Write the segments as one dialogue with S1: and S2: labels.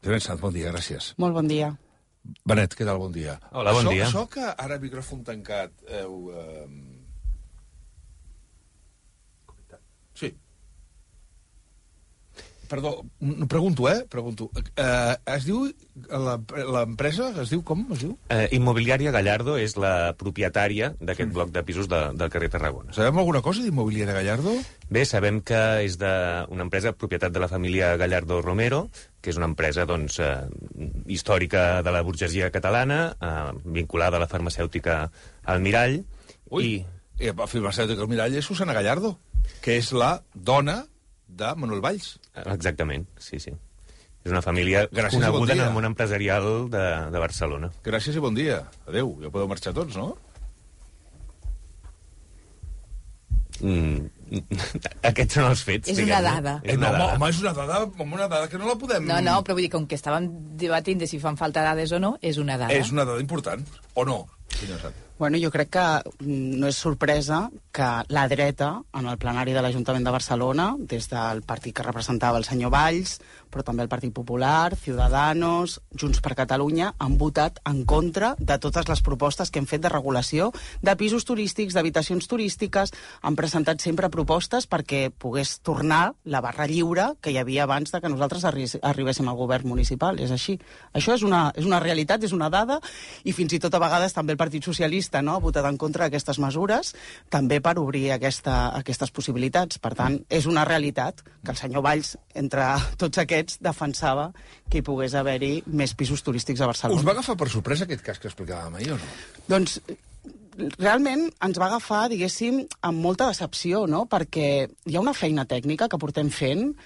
S1: Joan Sant, bon dia, gràcies.
S2: Molt bon dia.
S1: Benet, què tal? Bon dia.
S3: Hola, bon dia.
S1: Això que ara, micròfon tancat, Sí. Perdó, pregunto. Es diu... L'empresa es diu com? Es diu?
S3: Immobiliària Gallardo és la propietària d'aquest bloc de pisos del carrer Tarragona.
S1: Sabem alguna cosa d'Immobiliària Gallardo?
S3: Bé, sabem que és una empresa propietat de la família Gallardo Romero, que és una empresa històrica de la burgesia catalana, vinculada a la farmacèutica Almirall.
S1: Ui, la farmacèutica Almirall és Susana Gallardo, que és la dona de Manuel Valls.
S3: Exactament, sí. És una família coneguda en el món empresarial de Barcelona.
S1: Gràcies i bon dia. Adéu, ja podeu marxar tots, no?
S3: Aquests són els fets.
S2: És una dada.
S1: Home, és una dada que no la podem...
S2: No, però vull dir, com que estàvem debatint de si fan falta dades o no, és una dada.
S1: És una dada important, o no, senyor Sant?
S4: Bueno, jo crec que no és sorpresa que la dreta, en el plenari de l'Ajuntament de Barcelona, des del partit que representava el senyor Valls, però també el Partit Popular, Ciudadanos, Junts per Catalunya, han votat en contra de totes les propostes que hem fet de regulació de pisos turístics, d'habitacions turístiques. Han presentat sempre propostes perquè pogués tornar la barra lliure que hi havia abans de que nosaltres arribéssim al govern municipal. És així. Això és una realitat, és una dada, i fins i tot a vegades també el Partit Socialista ha votat en contra d'aquestes mesures, també per obrir aquestes possibilitats. Per tant, és una realitat que el senyor Valls, entre tots aquests, defensava que hi pogués haver-hi més pisos turístics a Barcelona.
S1: Us va agafar per sorpresa aquest cas que explicàvem ahir o no?
S4: Doncs realment ens va agafar, diguéssim, amb molta decepció, no? Perquè hi ha una feina tècnica que portem fent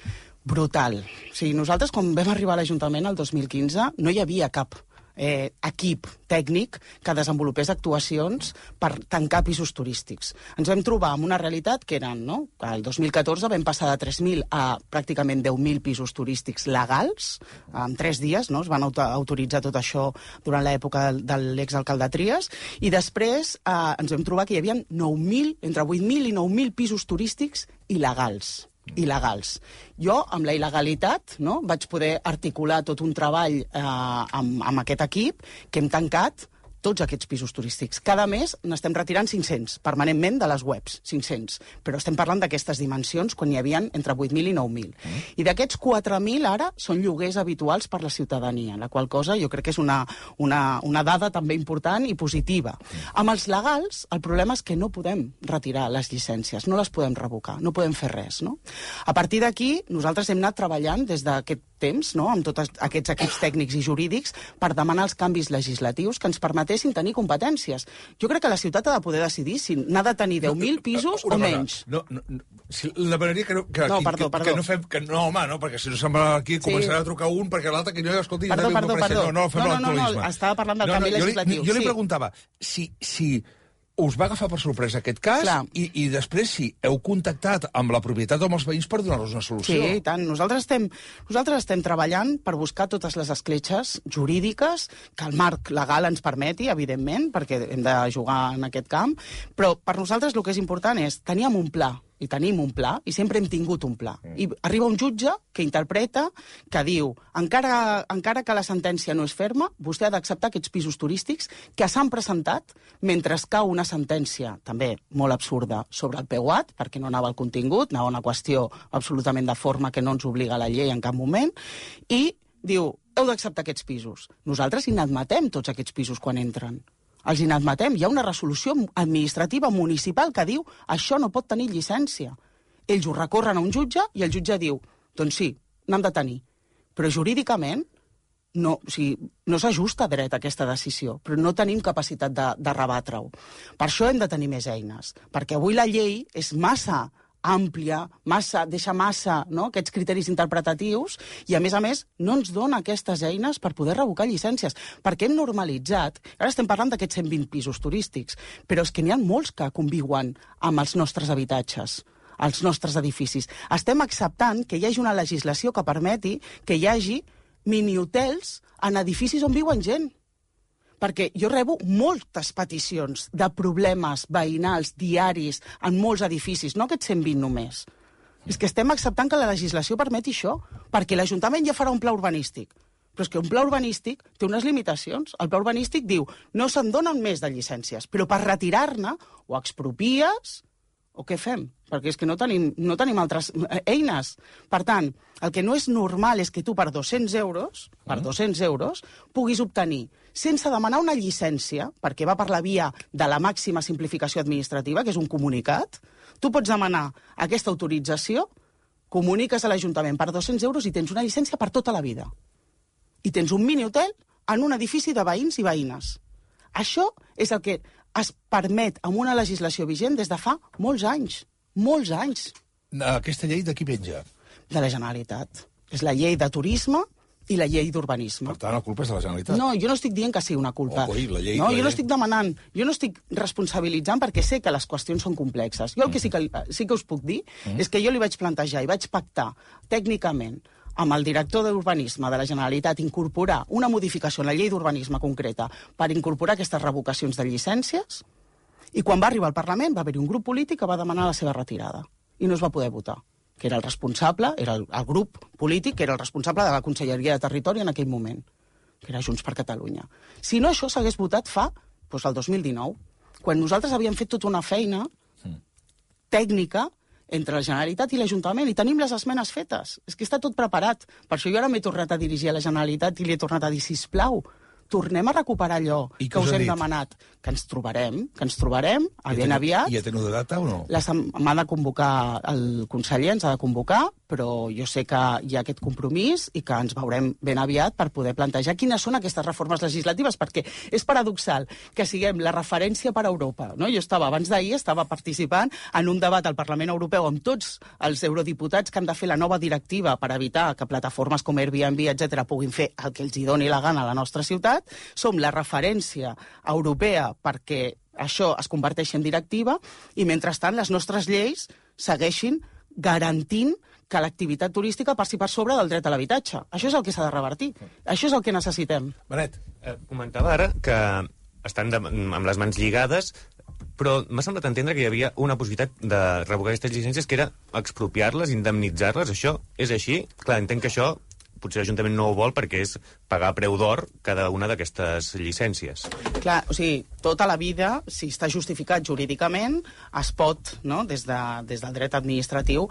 S4: brutal. O sigui, nosaltres, quan vam arribar a l'Ajuntament el 2015, no hi havia cap equip tècnic que desenvolupés actuacions per tancar pisos turístics. Ens vam trobar amb una realitat que eren, no? El 2014 vam passar de 3.000 a pràcticament 10.000 pisos turístics legals, en 3 dies, no? Es van autoritzar tot això durant l'època de l'exalcalde Trias, i després ens vam trobar que hi havia entre 8.000 i 9.000 pisos turístics il·legals. Jo, amb la il·legalitat, no, vaig poder articular tot un treball amb aquest equip que hem tancat tots aquests pisos turístics. Cada mes n'estem retirant 500, permanentment, de les webs, 500. Però estem parlant d'aquestes dimensions quan hi havia entre 8.000 i 9.000. I d'aquests 4.000 ara són lloguers habituals per la ciutadania, la qual cosa jo crec que és una dada també important i positiva. Amb els legals, el problema és que no podem retirar les llicències, no les podem revocar, no podem fer res, no? A partir d'aquí, nosaltres hem anat treballant des d'aquest temps, no?, amb tots aquests equips tècnics i jurídics per demanar els canvis legislatius que ens permetessin tenir competències. Jo crec que la ciutat ha de poder decidir si n'ha de tenir 10.000 pisos o menys.
S1: Demanaria que no...
S4: Perdó.
S1: Que no fem... No, home, no, perquè si no se'n va aquí començarà a trucar un perquè l'altre que no, escolti...
S4: Perdó.
S1: No, fem l'actualisme.
S4: Estava parlant del canvi legislatiu.
S1: Jo li preguntava si us va agafar per sorpresa aquest cas i després si heu contactat amb la propietat o amb els veïns per donar-los una solució.
S4: Sí, i tant. Nosaltres estem treballant per buscar totes les escletxes jurídiques que el marc legal ens permeti, evidentment, perquè hem de jugar en aquest camp, però per nosaltres el que és important és teníem un pla, i tenim un pla, i sempre hem tingut un pla. I arriba un jutge que interpreta, que diu, encara que la sentència no és ferma, vostè ha d'acceptar aquests pisos turístics que s'han presentat mentre cau una sentència, també molt absurda, sobre el PEUAT, perquè no anava al contingut, anava una qüestió absolutament de forma que no ens obliga la llei en cap moment, i diu, heu d'acceptar aquests pisos. Nosaltres inadmetem tots aquests pisos quan entren. Els inadmetem. Hi ha una resolució administrativa municipal que diu això no pot tenir llicència. Ells ho recorren a un jutge i el jutge diu doncs sí, n'han de tenir. Però jurídicament no s'ajusta dret a aquesta decisió, però no tenim capacitat de rebatre-ho. Per això hem de tenir més eines, perquè avui la llei és massa àmplia, deixa massa, no?, aquests criteris interpretatius, i a més no ens dona aquestes eines per poder revocar llicències, perquè hem normalitzat, ara estem parlant d'aquests 120 pisos turístics, però és que n'hi ha molts que conviuen amb els nostres habitatges, als nostres edificis. Estem acceptant que hi hagi una legislació que permeti que hi hagi minihotels en edificis on viuen gent. Perquè jo rebo moltes peticions de problemes veïnals diaris en molts edificis, no aquests 120 només. És que estem acceptant que la legislació permeti això, perquè l'Ajuntament ja farà un pla urbanístic. Però és que un pla urbanístic té unes limitacions. El pla urbanístic diu no se'n donen més de llicències, però per retirar-ne o expropies o què fem? Perquè és que no tenim altres eines. Per tant, el que no és normal és que tu per 200 euros puguis obtenir, sense demanar una llicència, perquè va per la via de la màxima simplificació administrativa, que és un comunicat, tu pots demanar aquesta autorització, comuniques a l'Ajuntament per 200 euros i tens una llicència per tota la vida. I tens un mini-hotel en un edifici de veïns i veïnes. Això és el que es permet amb una legislació vigent des de fa molts anys. Molts anys.
S1: Aquesta llei de qui penja?
S4: De la Generalitat. És la llei de turisme i la llei d'urbanisme.
S1: Per tant, la culpa és de la Generalitat.
S4: No, jo no estic dient que sigui una culpa.
S1: La llei,
S4: no, jo no estic demanant, jo no estic responsabilitzant perquè sé que les qüestions són complexes. Jo el que sí que us puc dir és que jo li vaig plantejar i vaig pactar tècnicament amb el director d'Urbanisme de la Generalitat incorporar una modificació en la llei d'urbanisme concreta per incorporar aquestes revocacions de llicències, i quan va arribar al Parlament va haver-hi un grup polític que va demanar la seva retirada i no es va poder votar, que era el responsable, era el grup polític que era el responsable de la Conselleria de Territori en aquell moment, que era Junts per Catalunya. Si no, això s'hagués votat fa el 2019, quan nosaltres havíem fet tota una feina tècnica entre la Generalitat i l'Ajuntament, i tenim les esmenes fetes. És que està tot preparat. Per això jo ara m'he tornat a dirigir a la Generalitat i li he tornat a dir, sisplau, tornem a recuperar allò que us hem demanat. Que ens trobarem ben aviat.
S1: I ja teniu de data o no?
S4: M'ha de convocar, el conseller ens ha de convocar, però jo sé que hi ha aquest compromís i que ens veurem ben aviat per poder plantejar quines són aquestes reformes legislatives, perquè és paradoxal que siguem la referència per a Europa. No? Jo abans d'ahir estava participant en un debat al Parlament Europeu amb tots els eurodiputats que han de fer la nova directiva per evitar que plataformes com Airbnb, etc., puguin fer el que els hi doni la gana a la nostra ciutat. Som la referència europea perquè això es converteixi en directiva i, mentrestant, les nostres lleis segueixin garantint que l'activitat turística passi per sobre del dret a l'habitatge. Això és el que s'ha de revertir. Això és el que necessitem.
S1: Benet.
S3: Comentava ara que estan amb les mans lligades, però m'ha semblat entendre que hi havia una possibilitat de revocar aquestes llicències que era expropiar-les, indemnitzar-les. Això és així? Clar, entenc que això potser l'Ajuntament no ho vol perquè és pagar a preu d'or cada una d'aquestes llicències.
S4: Clar, o sigui, tota la vida, si està justificat jurídicament, es pot, no, des del dret administratiu,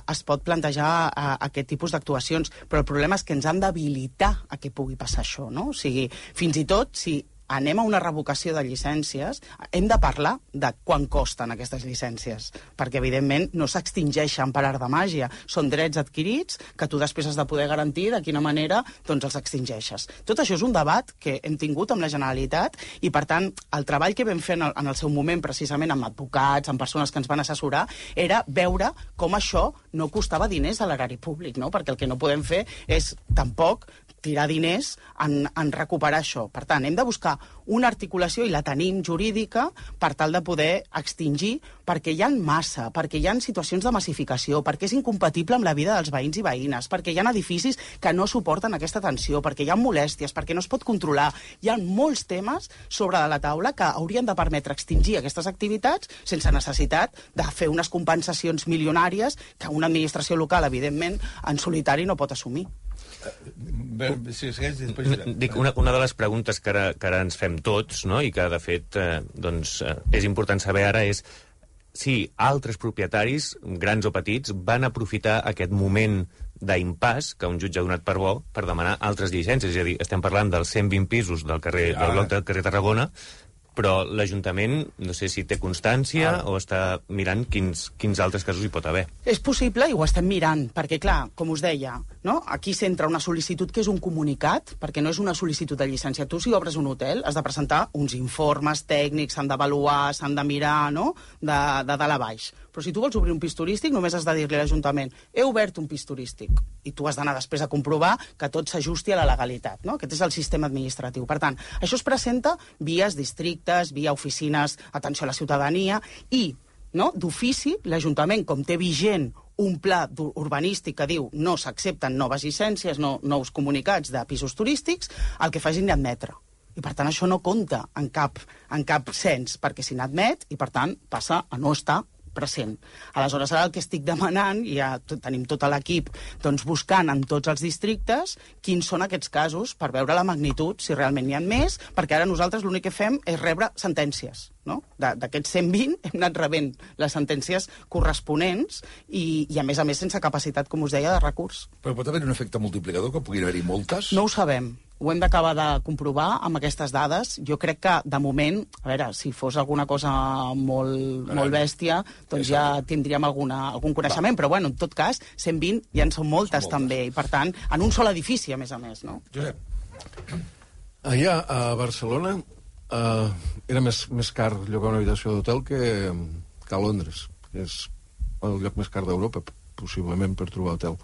S4: es pot plantejar aquest tipus d'actuacions, però el problema és que ens han d'habilitar a que pugui passar això, no? O sigui, fins i tot, si anem a una revocació de llicències, hem de parlar de quant costen aquestes llicències, perquè, evidentment, no s'extingeixen per art de màgia. Són drets adquirits que tu després has de poder garantir de quina manera doncs, els extingeixes. Tot això és un debat que hem tingut amb la Generalitat i, per tant, el treball que vam fer en el seu moment, precisament amb advocats, amb persones que ens van assessorar, era veure com això no costava diners a l'erari públic, no? Perquè el que no podem fer és, tampoc, tirar diners en recuperar això. Per tant, hem de buscar una articulació, i la tenim jurídica, per tal de poder extingir, perquè hi ha massa, perquè hi ha situacions de massificació, perquè és incompatible amb la vida dels veïns i veïnes, perquè hi ha edificis que no suporten aquesta tensió, perquè hi ha molèsties, perquè no es pot controlar. Hi ha molts temes sobre de la taula que haurien de permetre extingir aquestes activitats sense necessitat de fer unes compensacions milionàries que una administració local, evidentment, en solitari no pot assumir.
S3: Dic, una de les preguntes que ara ens fem tots, no? I que, de fet, és important saber ara és si altres propietaris, grans o petits, van aprofitar aquest moment d'impàs que un jutge ha donat per bo per demanar altres llicències. És a dir, estem parlant dels 120 pisos del bloc del carrer Tarragona, però l'Ajuntament, no sé si té constància o està mirant quins altres casos hi pot haver.
S4: És possible i ho estem mirant, perquè, clar, com us deia, no? Aquí s'entra una sol·licitud que és un comunicat, perquè no és una sol·licitud de llicència. Tu, si obres un hotel, has de presentar uns informes tècnics, s'han d'avaluar, s'han de mirar, no?, de dalt a baix. Però si tu vols obrir un pis turístic, només has de dir-li a l'Ajuntament he obert un pis turístic, i tu has d'anar després a comprovar que tot s'ajusti a la legalitat, no? Aquest és el sistema administratiu. Per tant, això es presenta via districtes, via oficines, atenció a la ciutadania, i, no, d'ofici, l'Ajuntament, com té vigent un pla urbanístic que diu no s'accepten noves llicències, nous comunicats de pisos turístics, el que fa és inadmetre. I, per tant, això no compta en cap cens, perquè s'inadmet i, per tant, passa a no estar present. Aleshores, ara el que estic demanant, i ja tenim tot l'equip buscant en tots els districtes quins són aquests casos per veure la magnitud, si realment n'hi ha més, perquè ara nosaltres l'únic que fem és rebre sentències. No? D'aquests 120 hem anat rebent les sentències corresponents i a més, sense capacitat, com us deia, de recurs.
S1: Però pot haver un efecte multiplicador, que puguin haver-hi moltes?
S4: No ho sabem. Ho hem d'acabar de comprovar amb aquestes dades. Jo crec que, de moment, a veure, si fos alguna cosa molt bèstia, doncs ja tindríem algun coneixement. Però, bueno, en tot cas, 120 ja en són moltes, també. I, per tant, en un sol edifici, a més, no?
S1: Josep.
S5: Allà, a Barcelona, era més car llogar una habitació d'hotel que a Londres. És el lloc més car d'Europa, possiblement, per trobar hotel.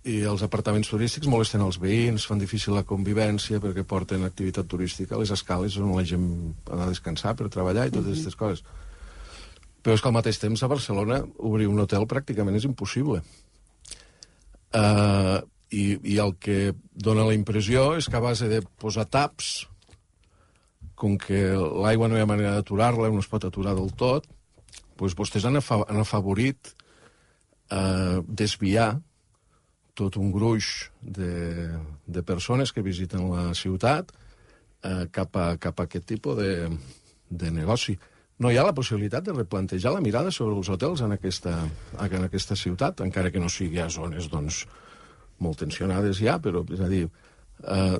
S5: I els apartaments turístics molesten els veïns, fan difícil la convivència perquè porten activitat turística a les escales on la gent ha de descansar per treballar i totes aquestes coses. Però és que al mateix temps a Barcelona obrir un hotel pràcticament és impossible. I el que dona la impressió és que a base de posar taps, com que l'aigua no hi ha manera d'aturar-la, no es pot aturar del tot, doncs vostès han afavorit desviar tot un gruix de persones que visiten la ciutat cap a aquest tipus de negoci. No hi ha la possibilitat de replantejar la mirada sobre els hotels en aquesta ciutat, encara que no sigui a zones, molt tensionades ja, però, és a dir,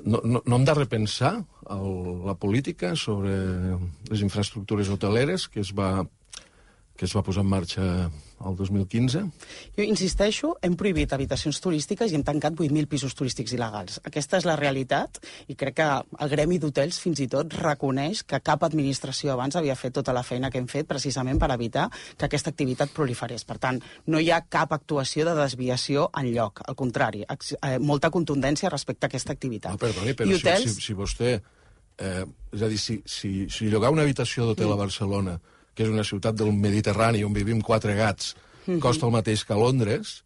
S5: no hem de repensar la política sobre les infraestructures hoteleres que es va posar en marxa el 2015.
S4: Jo insisteixo, hem prohibit habitacions turístiques i hem tancat 8.000 pisos turístics il·legals. Aquesta és la realitat i crec que el gremi d'hotels fins i tot reconeix que cap administració abans havia fet tota la feina que hem fet precisament per evitar que aquesta activitat proliferés. Per tant, no hi ha cap actuació de desviació enlloc. Al contrari, molta contundència respecte a aquesta activitat.
S5: Perdoni, però hotels... si vostè... és a dir, si llogar una habitació d'hotel a Barcelona, que és una ciutat del Mediterrani on vivim 4 gats, costa el mateix que a Londres,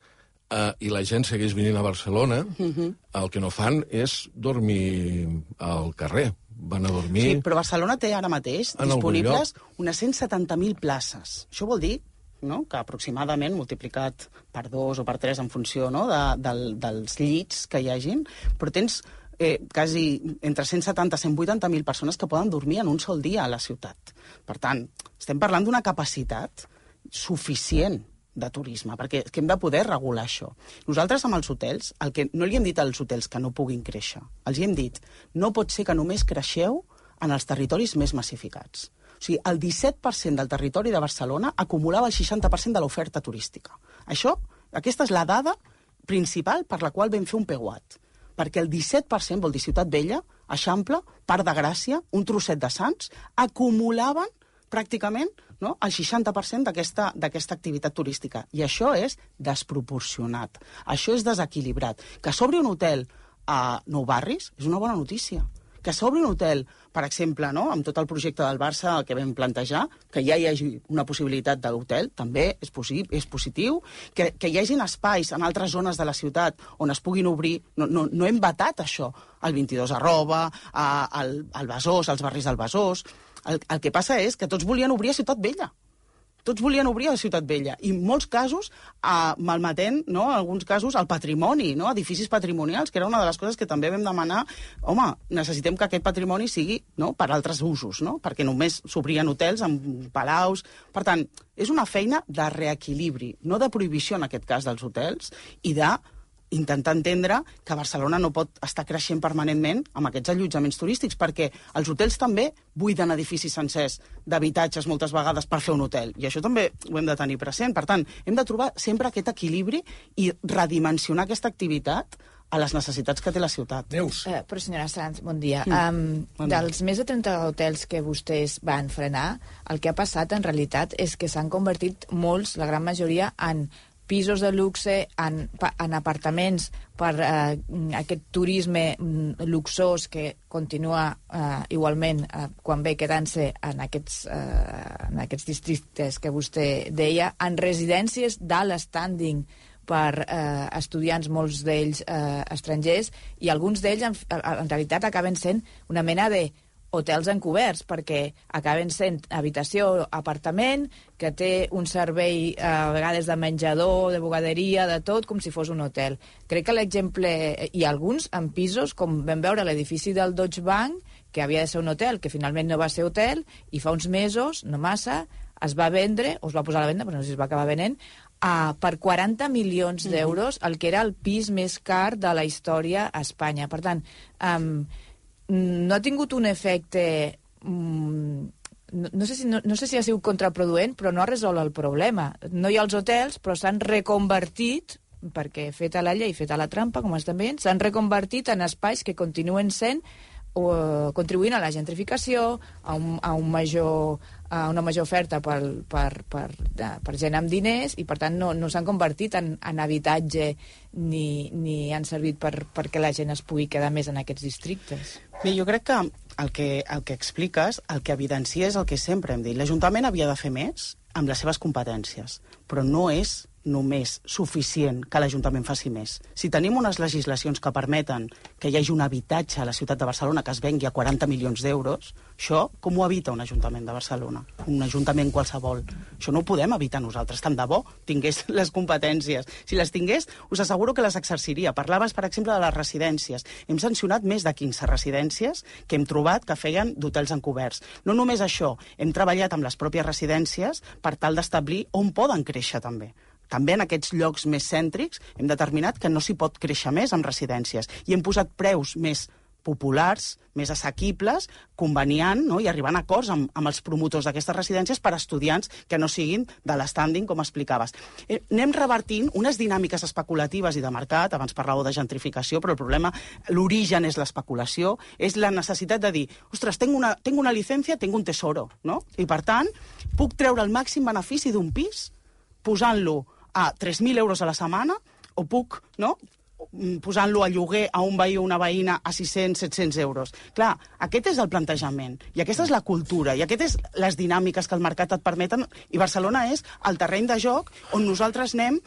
S5: i la gent segueix venint a Barcelona, el que no fan és dormir al carrer. Van a dormir...
S4: Sí, però Barcelona té ara mateix disponibles unes 170.000 places. Això vol dir que aproximadament, multiplicat per 2 o per 3 en funció dels llits que hi hagin, però tens quasi entre 170 i 180.000 persones que poden dormir en un sol dia a la ciutat. Per tant, estem parlant d'una capacitat suficient de turisme, perquè hem de poder regular això. Nosaltres amb els hotels, el que no li hem dit als hotels que no puguin créixer, els hem dit, no pot ser que només creixeu en els territoris més massificats. O sigui, el 17% del territori de Barcelona acumulava el 60% de l'oferta turística. Aquesta és la dada principal per la qual vam fer un PEGUAT. Perquè el 17%, vol dir Ciutat Vella, Eixample, Parc de Gràcia, un trosset de Sants, acumulaven pràcticament el 60% d'aquesta activitat turística. I això és desproporcionat. Això és desequilibrat. Que s'obri un hotel a Nou Barris és una bona notícia. Que s'obri un hotel, per exemple, amb tot el projecte del Barça que vam plantejar, que ja hi hagi una possibilitat d'hotel, també és positiu, que hi hagin espais en altres zones de la ciutat on es puguin obrir, no hem vetat això, el 22 al Besòs, als barris del Besòs. El que passa és que tots volien obrir a Ciutat Vella. Tots volien obrir a Ciutat Vella. I en molts casos, malmetent, en alguns casos, el patrimoni, edificis patrimonials, que era una de les coses que també vam demanar. Home, necessitem que aquest patrimoni sigui per altres usos, perquè només s'obrien hotels amb palaus. Per tant, és una feina de reequilibri, no de prohibició, en aquest cas, dels hotels, i d'intentar entendre que Barcelona no pot estar creixent permanentment amb aquests allotjaments turístics, perquè els hotels també buiden edificis sencers d'habitatges moltes vegades per fer un hotel, i això també ho hem de tenir present. Per tant, hem de trobar sempre aquest equilibri i redimensionar aquesta activitat a les necessitats que té la ciutat.
S1: Neus.
S2: Però, senyora Sanz, bon dia. Dels més de 30 hotels que vostès van frenar, el que ha passat en realitat és que s'han convertit molts, la gran majoria, en pisos de luxe, en apartaments per aquest turisme luxós que continua igualment quan ve quedant-se en aquests districtes que vostè deia, en residències d'alt standing per estudiants, molts d'ells estrangers, i alguns d'ells en realitat acaben sent una mena de hotels encoberts, perquè acaben sent habitació, apartament, que té un servei a vegades de menjador, de bugaderia, de tot, com si fos un hotel. Crec que l'exemple... Hi ha alguns en pisos, com vam veure l'edifici del Deutsche Bank, que havia de ser un hotel, que finalment no va ser hotel, i fa uns mesos, no massa, es va vendre, o es va posar a la venda, però no sé si es va acabar venent, per 40 milions d'euros, el que era el pis més car de la història a Espanya. Per tant, no ha tingut un efecte... No sé si ha sigut contraproduent, però no ha resolt el problema. No hi ha els hotels, però s'han reconvertit, perquè feta la llei, feta la trampa, com estem veient, s'han reconvertit en espais que continuen sent contribuint a la gentrificació, a una major oferta per gent amb diners, i per tant no s'han convertit en habitatge ni han servit perquè la gent es pugui quedar més en aquests districtes.
S4: Bé, jo crec que el que expliques, el que evidencia és el que sempre hem dit. L'Ajuntament havia de fer més amb les seves competències, però no és només suficient que l'Ajuntament faci més. Si tenim unes legislacions que permeten que hi hagi un habitatge a la ciutat de Barcelona que es vengui a 40 milions d'euros, això com ho evita un Ajuntament de Barcelona? Un Ajuntament qualsevol. Això no ho podem evitar nosaltres. Tant de bo tingués les competències. Si les tingués, us asseguro que les exerciria. Parlaves, per exemple, de les residències. Hem sancionat més de 15 residències que hem trobat que feien d'hotels encoberts. No només això, hem treballat amb les pròpies residències per tal d'establir on poden créixer també. També en aquests llocs més cèntrics hem determinat que no s'hi pot créixer més amb residències i hem posat preus més populars, més assequibles, conveniant, no? I arribant a acords amb els promotors d'aquestes residències per a estudiants que no siguin de l'estànding, com explicaves. Anem revertint unes dinàmiques especulatives i de mercat, abans parlàveu de gentrificació, però el problema, l'origen és l'especulació, és la necessitat de dir, ostres, tengo una llicència, tengo un tesoro, no? I per tant, puc treure el màxim benefici d'un pis posant-lo a 3.000 euros a la setmana, o puc, no?, posant-lo a lloguer a un veí o una veïna a 600-700 euros. Clar, aquest és el plantejament, i aquesta és la cultura, i aquestes és les dinàmiques que el mercat et permeten, i Barcelona és el terreny de joc on nosaltres anem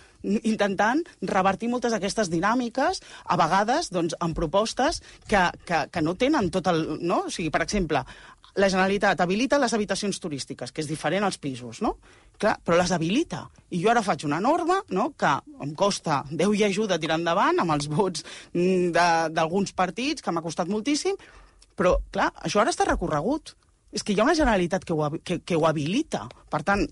S4: intentant revertir moltes d'aquestes dinàmiques, a vegades doncs, amb propostes que no tenen tot el... No? O sigui, per exemple, la Generalitat habilita les habitacions turístiques, que és diferent als pisos, no? Clar, però les habilita. I jo ara faig una norma, no?, que em costa Déu i ajuda tirar endavant, amb els vots d'alguns partits, que m'ha costat moltíssim, però, clar, això ara està recorregut. És que hi ha una Generalitat que ho habilita. Per tant,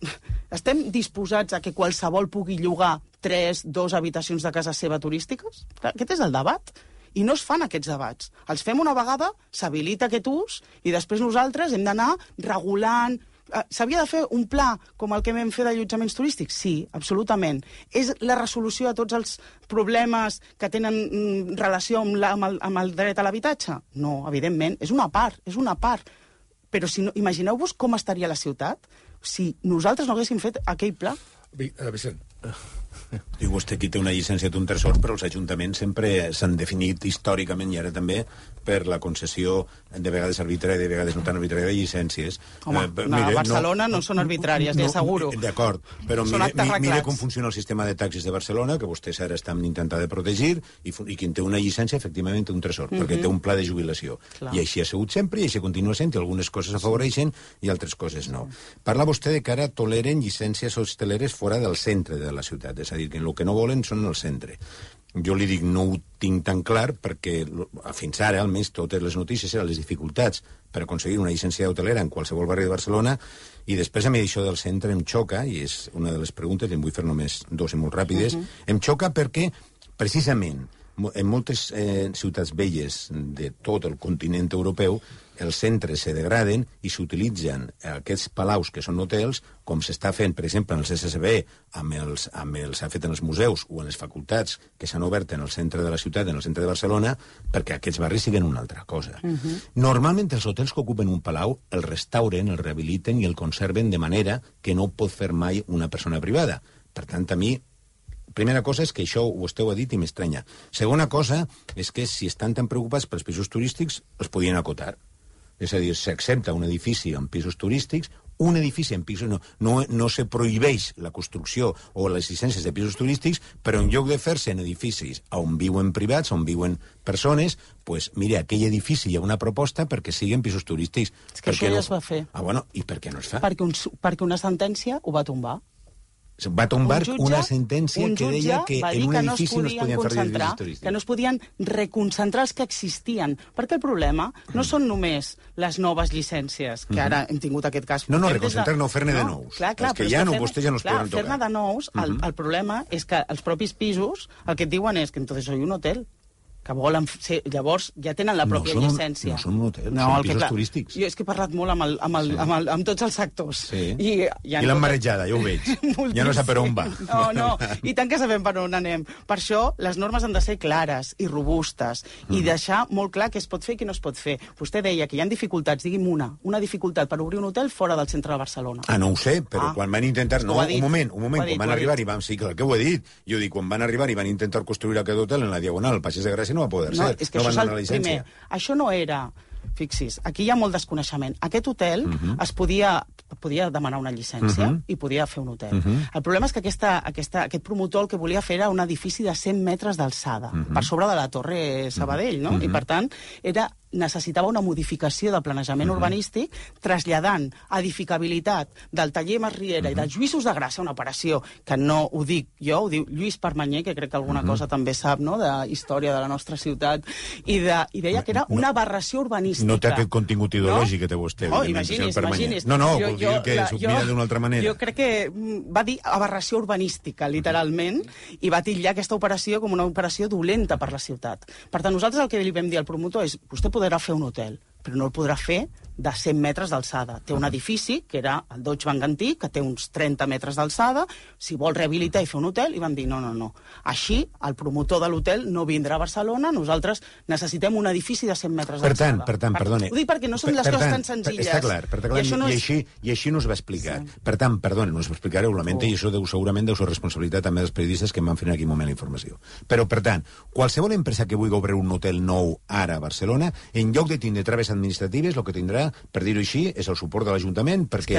S4: estem disposats a que qualsevol pugui llogar 2 habitacions de casa seva turístiques? Clar, aquest és el debat. I no es fan aquests debats. Els fem una vegada, s'habilita aquest ús, i després nosaltres hem d'anar regulant... S'havia de fer un pla com el que vam fer d'allotjaments turístics? Sí, absolutament. És la resolució de tots els problemes que tenen relació amb el dret a l'habitatge? No, evidentment. És una part. Però si no, imagineu-vos com estaria la ciutat si nosaltres no haguéssim fet aquell pla.
S1: Vicent.
S6: Diu vostè que té una llicència d'un tresor, però els ajuntaments sempre s'han definit històricament, i ara també, per la concessió de vegades arbitrària, de vegades no tan arbitrària, de llicències.
S4: Home, a Barcelona no són arbitràries, li asseguro.
S6: D'acord, però mire com funciona el sistema de taxis de Barcelona, que vostès ara estan intentant de protegir, i qui té una llicència, efectivament, té un tresor, perquè té un pla de jubilació. Clar. I així ha sigut sempre, i així continua sent, i algunes coses afavoreixen i altres coses no. Parla vostè de que ara toleren llicències hosteleres fora del centre de la ciutat, és a dir, que el que no volen són el centre. Jo li dic, no ho tinc tan clar, perquè fins ara, almenys, totes les notícies eren les dificultats per aconseguir una llicència hotelera en qualsevol barri de Barcelona, i després a mi això del centre em xoca, i és una de les preguntes, i en vull fer només 2 i molt ràpides, em xoca perquè, precisament, en moltes ciutats velles de tot el continent europeu, els centres se degraden i s'utilitzen aquests palaus que són hotels, com s'està fent, per exemple, en el CCCB, s'ha fet en els museus o en les facultats que s'han obert en el centre de la ciutat, en el centre de Barcelona, perquè aquests barris siguin una altra cosa. Normalment els hotels que ocupen un palau el restauren, el rehabiliten i el conserven de manera que no pot fer mai una persona privada. Per tant, a mi, primera cosa és que això vostè ho ha dit i m'estranya. Segona cosa és que si estan tan preocupats pels pisos turístics, els podien acotar. És a dir, s'accepta un edifici amb pisos turístics un edifici en pisos, no se prohibeix la construcció o les llicències de pisos turístics, però en lloc de fer-se en edificis on viuen privats, on viuen persones, pues, mira, aquell edifici hi ha una proposta perquè siguin pisos turístics.
S4: És que això ja es va fer.
S6: Ah, bueno, i per què no es fa?
S4: Perquè una sentència ho va tombar.
S6: Va tombar una sentència que deia que en un edifici no es podien fer edificis turístics.
S4: Que no es podien reconcentrar els que existien. Perquè el problema no són només les noves llicències, que ara hem tingut aquest cas.
S6: No, reconcentrar, no, fer-ne de nous.
S4: Clar,
S6: els que ja no, vostès ja no es poden tocar.
S4: Fer-ne de nous, el problema és que els propis pisos el que et diuen és que entonces soy un hotel. Que volen ser... Llavors ja tenen la pròpia llicència.
S6: No són un hotel, són pisos turístics.
S4: Jo és que he parlat molt amb tots els sectors.
S6: Sí. I l'han marejada, ja ho veig. Ja no sap per on va.
S4: No, i tant que sabem per on anem. Per això les normes han de ser clares i robustes i deixar molt clar què es pot fer i què no es pot fer. Vostè deia que hi ha dificultats, digui'm una dificultat per obrir un hotel fora del centre de Barcelona.
S6: No ho sé, però quan van intentar... No, un moment, quan van arribar i vam... Sí, clar que ho he dit. Jo dic, quan van arribar i van intentar construir aquest hotel en la Diagonal, al Passeig de Gràcia, no va poder ser.
S4: És que no això és el primer. Això no era... Fixis, aquí hi ha molt desconeixement. Aquest hotel es podia demanar una llicència i podia fer un hotel. El problema és que aquest promotor el que volia fer era un edifici de 100 metres d'alçada, per sobre de la Torre Sabadell, no? I, per tant, necessitava una modificació de planejament urbanístic traslladant edificabilitat del taller Masriera i dels Lluïsos de Gràcia, una operació que no ho dic jo, ho diu Lluís Permanyer, que crec que alguna cosa també sap, no?, de història de la nostra ciutat, i deia que era una aberració urbanística.
S6: No té aquest contingut ideològic que té vostè.
S4: No, imagini's.
S6: No, vol dir que s'ho mira d'una altra manera.
S4: Jo crec que va dir aberració urbanística, literalment, i va titllar aquesta operació com una operació dolenta per la ciutat. Per tant, nosaltres el que li vam dir al promotor és vostè podrà fer un hotel, però no el podrà fer de 100 metres d'alçada. Té un edifici, que era el Deutsche Bank antic, que té uns 30 metres d'alçada, si vol rehabilitar i fer un hotel, i van dir no. Així, el promotor de l'hotel no vindrà a Barcelona, nosaltres necessitem un edifici de 100 metres d'alçada.
S6: Per tant, perdoni.
S4: Ho dic perquè no són les coses tan senzilles.
S6: Està clar, i així no es va explicar. Per tant, perdoni, no es va explicar, ho lamento, i això segurament deu ser responsabilitat també dels periodistes que em van fer en aquell moment la informació. Però, per tant, qualsevol empresa que vulgui obrir un hotel nou ara a Barcelona, en lloc de tindre traves administratives, el que tindrà, per dir-ho així, és el suport de l'Ajuntament, perquè...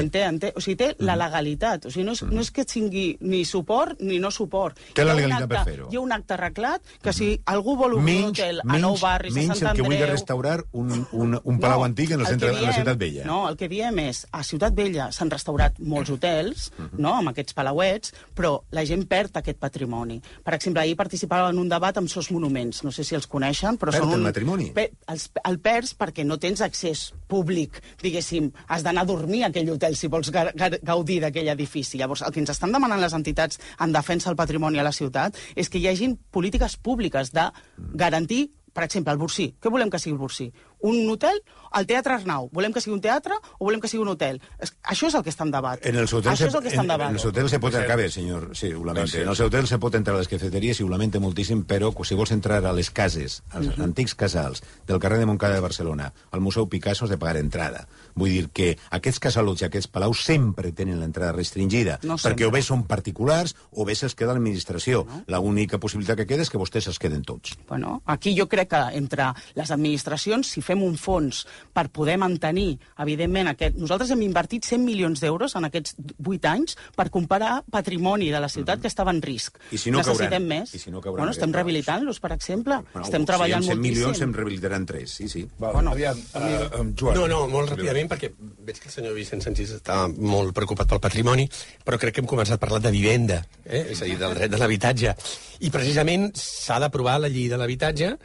S4: O sigui, té la legalitat. O sigui, no és que tingui ni suport ni no suport.
S6: Té la legalitat per fer-ho.
S4: Hi ha un acte arreglat que si algú vol obrir un hotel a Nou Barris, a Sant Andreu...
S6: Menys el que vulgui restaurar un palau antic en el centre de la Ciutat Vella.
S4: No, el que diem és, a Ciutat Vella s'han restaurat molts hotels, no?, amb aquests palauets, però la gent perd aquest patrimoni. Per exemple, ahir participava en un debat amb Sos Monuments, no sé si els coneixen, però
S6: són el patrimoni?
S4: El perds perquè no tens accés públic, diguéssim, has d'anar a dormir a aquell hotel si vols gaudir d'aquell edifici. Llavors, el que ens estan demanant les entitats en defensa del patrimoni a la ciutat és que hi hagin polítiques públiques de garantir, per exemple, el Bursí. Què volem que sigui el Bursí? Un hotel? El Teatre Arnau. Volem que sigui un teatre o volem que sigui un hotel? Això és el que està en debat.
S6: En els hotels se pot entrar, bé, senyor, sí, ho lamento. En els hotels se pot entrar a les cafeteries i ho lamento moltíssim, però si vols entrar a les cases, als antics casals del carrer de Montcada de Barcelona, al Museu Picasso, has de pagar entrada. Vull dir que aquests casalots i aquests palaus sempre tenen l'entrada restringida, perquè o bé són particulars o bé se'ls queda l'administració. L'única possibilitat que queda és que vostès es queden tots.
S4: Bueno, aquí jo crec que entre les administracions, si fem un fons per poder mantenir, evidentment, nosaltres hem invertit 100 milions d'euros en aquests 8 anys per comparar patrimoni de la ciutat que estava en risc.
S6: I si no
S4: necessitem més.
S6: Bueno,
S4: estem rehabilitant-los, per exemple. Estem treballant moltíssim.
S6: 100 milions se'n rehabilitaran 3, sí.
S1: Aviam, Joan.
S7: No, molt ràpidament, perquè veig que el senyor Vicent Sanchis està molt preocupat pel patrimoni, però crec que hem començat a parlar de vivenda, és a dir, del dret de l'habitatge. I precisament s'ha d'aprovar la llei de l'habitatge,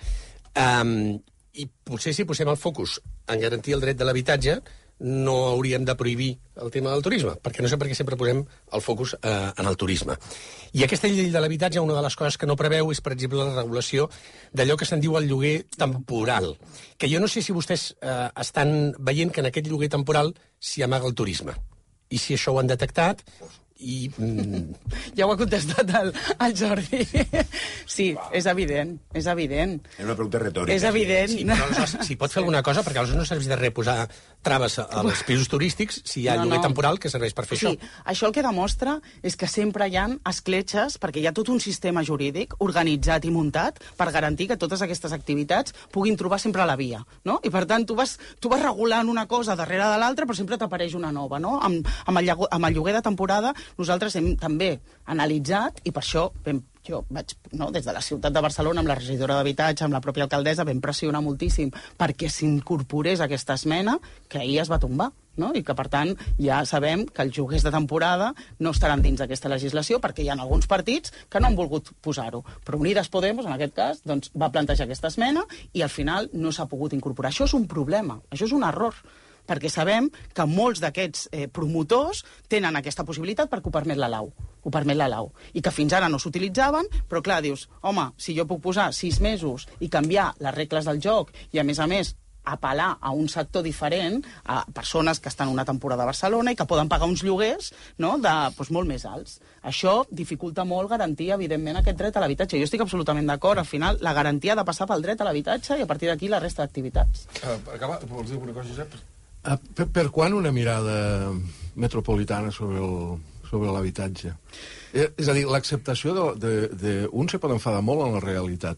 S7: i potser si posem el focus en garantir el dret de l'habitatge no hauríem de prohibir el tema del turisme, perquè no sé per què sempre posem el focus en el turisme. I aquesta llei de l'habitatge, una de les coses que no preveu és, per exemple, la regulació d'allò que se'n diu el lloguer temporal, que jo no sé si vostès estan veient que en aquest lloguer temporal s'hi amaga el turisme, i si això ho han detectat,
S4: Ja ho ha contestat el Jordi. Sí, és evident, és evident.
S6: És una pregunta retòrica.
S4: És evident.
S7: Sí, però aleshores, si pot fer alguna cosa, perquè aleshores no serveix de res posar traves als pisos turístics si hi ha lloguer temporal que serveix per fer això.
S4: Sí, això el que demostra és que sempre hi ha escletxes, perquè hi ha tot un sistema jurídic organitzat i muntat per garantir que totes aquestes activitats puguin trobar sempre la via, no? I per tant, tu vas regulant una cosa darrere de l'altra, però sempre t'apareix una nova, no? Amb el lloguer de temporada nosaltres hem també analitzat, i per això jo vaig, des de la ciutat de Barcelona, amb la regidora d'Habitatge, amb la pròpia alcaldessa, vam pressionar moltíssim perquè s'incorporés aquesta esmena, que ahir es va tombar, no? I que, per tant, ja sabem que els lloguers de temporada no estaran dins d'aquesta legislació perquè hi ha alguns partits que no han volgut posar-ho. Però Unides Podemos, en aquest cas, doncs, va plantejar aquesta esmena i al final no s'ha pogut incorporar. Això és un problema, això és un error, perquè sabem que molts d'aquests promotors tenen aquesta possibilitat perquè ho permet la lau. Ho permet la lau. I que fins ara no s'utilitzaven, però clar, dius, home, si jo puc posar 6 mesos i canviar les regles del joc i, a més, apel·lar a un sector diferent, a persones que estan una temporada a Barcelona i que poden pagar uns lloguers, no?, molt més alts. Això dificulta molt garantir, evidentment, aquest dret a l'habitatge. Jo estic absolutament d'acord. Al final, la garantia ha de passar pel dret a l'habitatge i, a partir d'aquí, la resta d'activitats.
S1: Per acabar, vols dir alguna cosa, Josep?
S5: Per quan una mirada metropolitana sobre l'habitatge? És a dir, l'acceptació d'un se pot enfadar molt en la realitat,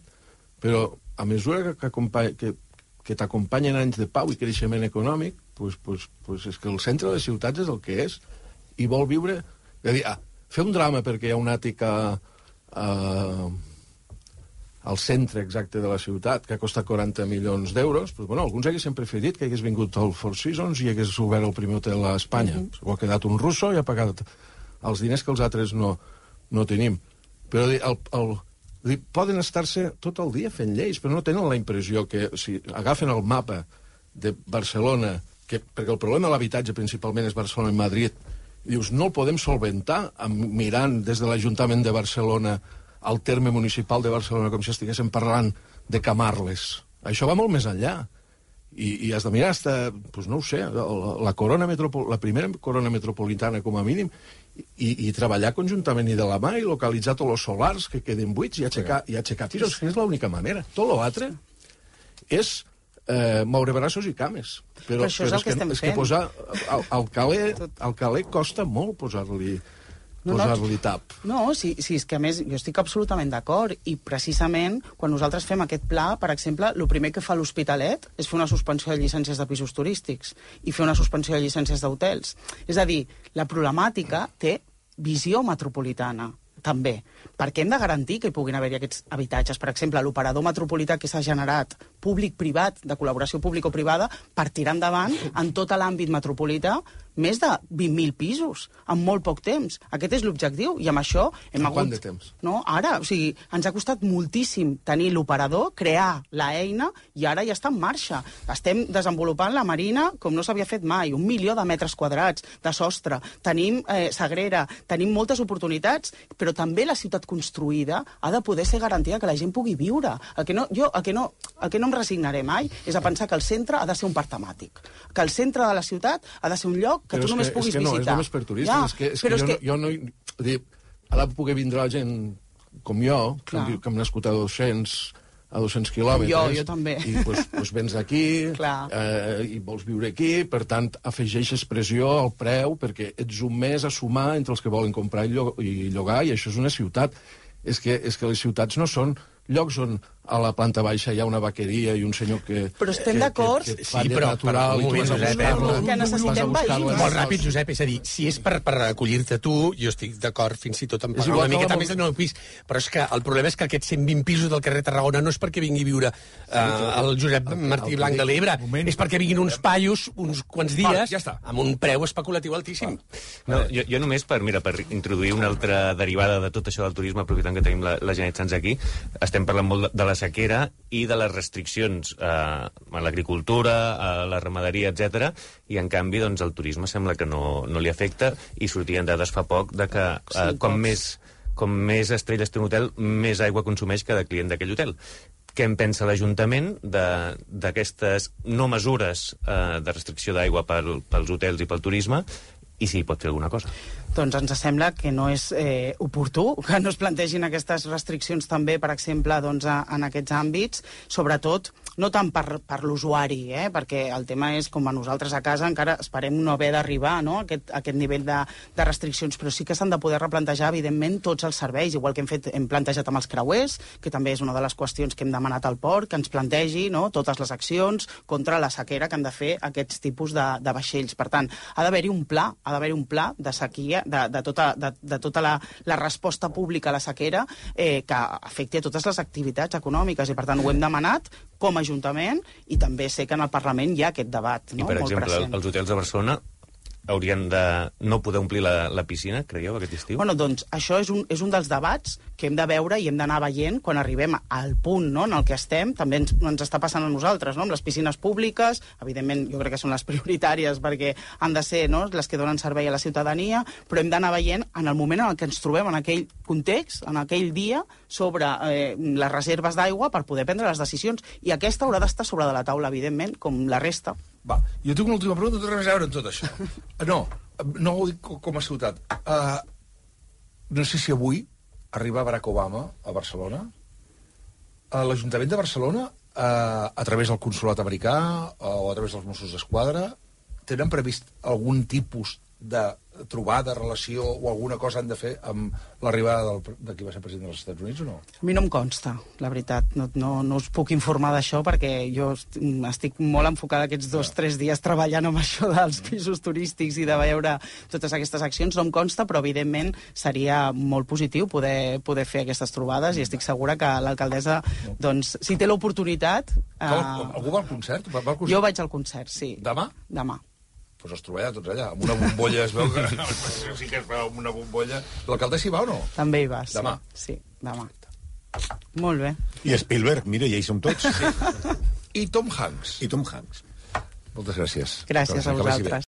S5: però a mesura que t'acompanyen anys de pau i creixement econòmic, és que el centre de les ciutats és el que és, i vol viure... És a dir, fer un drama perquè hi ha un àtic al centre exacte de la ciutat, que ha costat 40 milions d'euros, alguns haguessin preferit que hagués vingut el Four Seasons i hagués obert el primer hotel a Espanya. Ho ha quedat un russo i ha pagat els diners que els altres no tenim. Però poden estar-se tot el dia fent lleis, però no tenen la impressió que si agafen el mapa de Barcelona, perquè el problema de l'habitatge principalment és Barcelona i Madrid, i dius, no el podem solventar mirant des de l'Ajuntament de Barcelona al terme municipal de Barcelona com si estiguéssim parlant de Camarles. Això va molt més enllà. I has de mirar no ho sé, la primera corona metropolitana com a mínim, i treballar conjuntament i de la mà i localitzar tots els solars que queden buits i aixecar pisos, que és l'única manera. Tot l'altre és moure braços i cames.
S4: Però això és el que estem fent.
S5: És que posar al caler costa molt posar-li tap.
S4: No, sí, és que a més jo estic absolutament d'acord, i precisament quan nosaltres fem aquest pla, per exemple, el primer que fa l'Hospitalet és fer una suspensió de llicències de pisos turístics i fer una suspensió de llicències d'hotels. És a dir, la problemàtica té visió metropolitana, també, perquè hem de garantir que hi puguin haver-hi aquests habitatges. Per exemple, l'operador metropolità que s'ha generat públic-privat, de col·laboració público-privada, per tirar endavant en tot l'àmbit metropolità més de 20.000 pisos, en molt poc temps. Aquest és l'objectiu, i amb això hem hagut...
S5: Quant de temps?
S4: No, ara, o sigui, ens ha costat moltíssim tenir l'operador, crear l'eina, i ara ja està en marxa. Estem desenvolupant la marina com no s'havia fet mai, 1 milió de metres quadrats de sostre, tenim Sagrera, tenim moltes oportunitats, però també la ciutat construïda ha de poder ser garantida que la gent pugui viure. El que no em resignaré mai és a pensar que el centre ha de ser un parc temàtic, que el centre de la ciutat ha de ser un lloc que tu només puguis visitar.
S5: És només per turistes. Ha de poder vindre la gent com jo, que hem nascut a 200 quilòmetres.
S4: Jo també.
S5: I doncs vens aquí i vols viure aquí, per tant, afegeixes pressió al preu perquè ets un mes a sumar entre els que volen comprar i llogar, i això és una ciutat. És que les ciutats no són llocs on a la planta baixa hi ha una vaqueria i un senyor que...
S4: Però estem d'acord.
S5: Sí, però natural, i tu vas a buscar-lo.
S4: Que necessitem veïns.
S7: Molt ràpid, Josep, és a dir, si és per acollir-te tu, jo estic d'acord fins i tot en pagar una miqueta més del nou pis, però és que el problema és que aquests 120 pisos del carrer Tarragona no és perquè vingui a viure el Josep Martí Blanc de l'Ebre, és perquè vinguin uns paios uns quants dies amb un preu especulatiu altíssim.
S3: No, jo només per introduir una altra derivada de tot això del turisme, aprofitant que tenim la Janet Sans aquí, estem parlant molt de la sequera i de les restriccions a l'agricultura, a la ramaderia, etc. I, en canvi, doncs, el turisme sembla que no li afecta, i sortien dades fa poc de que com més estrelles té un hotel, més aigua consumeix cada client d'aquell hotel. Què en pensa l'Ajuntament d'aquestes no mesures de restricció d'aigua pels hotels i pel turisme, i si hi pot fer alguna cosa?
S4: doncs ens sembla que no és oportú que no es plantegin aquestes restriccions també, per exemple, doncs, en aquests àmbits, sobretot no tant per l'usuari, perquè el tema és, com a nosaltres a casa, encara esperem no haver d'arribar, no?, a aquest nivell de restriccions, però sí que s'han de poder replantejar, evidentment, tots els serveis, igual que hem plantejat amb els creuers, que també és una de les qüestions que hem demanat al port, que ens plantegi, no?, totes les accions contra la sequera que han de fer aquests tipus de vaixells. Per tant, ha d'haver-hi un pla de sequia, de tota la resposta pública a la sequera que afecti a totes les activitats econòmiques, i per tant ho hem demanat com a Ajuntament, i també sé que en el Parlament hi ha aquest debat, no?,
S3: I, per
S4: molt
S3: exemple,
S4: present.
S3: els hotels de Barcelona haurien de no poder omplir la piscina, creieu, aquest estiu?
S4: Bueno, doncs això és un dels debats que hem de veure i hem d'anar veient quan arribem al punt, no?, en el que estem. També ens està passant a nosaltres, no?, amb les piscines públiques. Evidentment, jo crec que són les prioritàries perquè han de ser, no?, les que donen servei a la ciutadania, però hem d'anar veient en el moment en el que ens trobem en aquell context, en aquell dia, sobre les reserves d'aigua per poder prendre les decisions. I aquesta haurà d'estar sobre de la taula, evidentment, com la resta.
S1: Va, jo tinc una última pregunta, no té res a veure amb tot això. No ho dic com a ciutat. No sé si avui arriba Barack Obama a Barcelona. L'Ajuntament de Barcelona, a través del consolat americà o a través dels Mossos d'Esquadra, tenen previst algun tipus de trobada, relació o alguna cosa han de fer amb l'arribada de qui va ser president dels Estats Units o no?
S4: A mi no em consta, la veritat. No us puc informar d'això perquè jo estic molt enfocada aquests 2-3 dies treballant amb això dels pisos turístics i de veure totes aquestes accions. No em consta, però evidentment seria molt positiu poder fer aquestes trobades, i estic segura que l'alcaldessa, doncs, si té l'oportunitat...
S1: Algú va al concert?
S4: Jo vaig al concert, sí.
S1: Demà?
S4: Demà.
S1: Doncs es trobarà tots allà, amb una bombolla, es veu que sí que es veu amb una bombolla. L'alcaldessa hi va o no?
S4: També hi va, sí.
S1: Demà?
S4: Sí, demà. Molt bé.
S6: I Spielberg, mira, ja hi som tots.
S1: Sí. I Tom Hanks.
S6: I Tom Hanks.
S1: Moltes gràcies.
S4: Gràcies a vosaltres.